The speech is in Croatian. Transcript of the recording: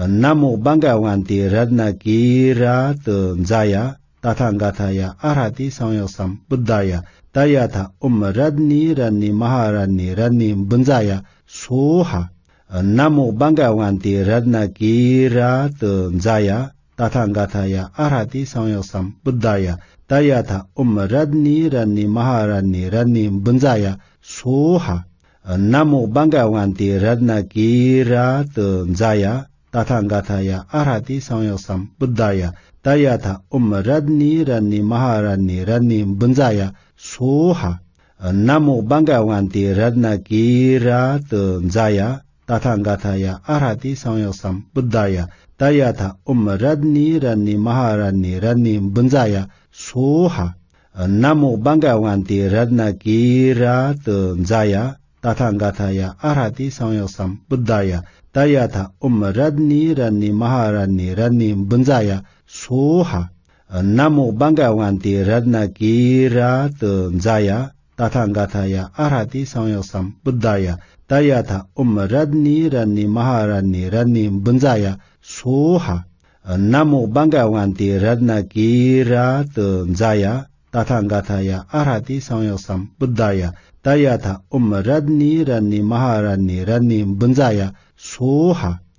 Namo Bhagavanti Ratnakira Jaya Tathangataya Arhati Samyasam Buddhaya Tayatha Radni Rani Maharani Rani Bunjaya Soha Namo Bhagavanti Ratnakira Jaya Tathangataya Arhati Samyasam Buddhaya Tayatha Radni Rani Maharani Rani Bunjaya Soha Namo Bhagavanti Ratnakira Jaya Tathangataya Arhati Samyasam Buddhaya Tayatha Radni Rani Maharani Rani Bunjaya Soha Namo Bhagavanti Ratnakira Jaya Tathangataya Arhati Samyasam Buddhaya Tayatha Radni Rani Maharani Rani Bunjaya Soha Namo Bhagavanti Ratnakira Jaya Tathangataya Arhati Samyasam Buddhaya Tayatha Radni Rani Maharani Rani Bunjaya Soha Namo Bhagavanti Ratnakira Jaya Tathangataya Arhati Samyasam Buddhaya Tayatha Radni Rani Maharani Rani Bunjaya Soha Namo Bhagavanti Ratnakira Jaya Tathangataya Arhati Samyasam Buddhaya Tayatha Radni Rani Maharani Rani Bunjaya Soha